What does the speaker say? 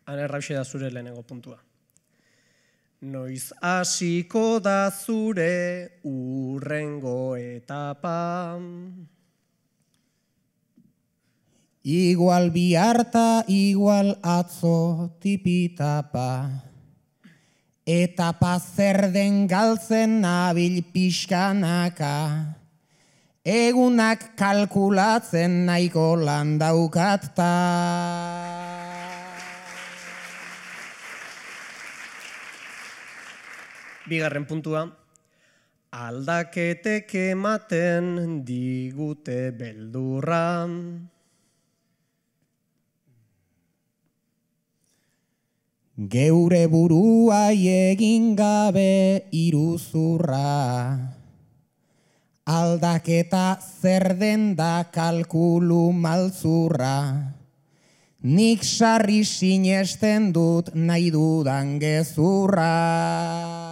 Anerrauxe da zure lehenengo puntua. Noiz hasiko da zure urrengo etapa. Igual biharta, igual atzo tipitapa. Etapa zer den galtzen nabil pixkanaka. Egunak kalkulatzen nahiko lan daukatta. Bigarren puntua. Aldaketek ematen digute beldurra. Geure buruai egin gabe iruzurra. Aldaketa zer den da kalkulu maltzurra. Nik sarri sinesten dut nahi dudan gezurra.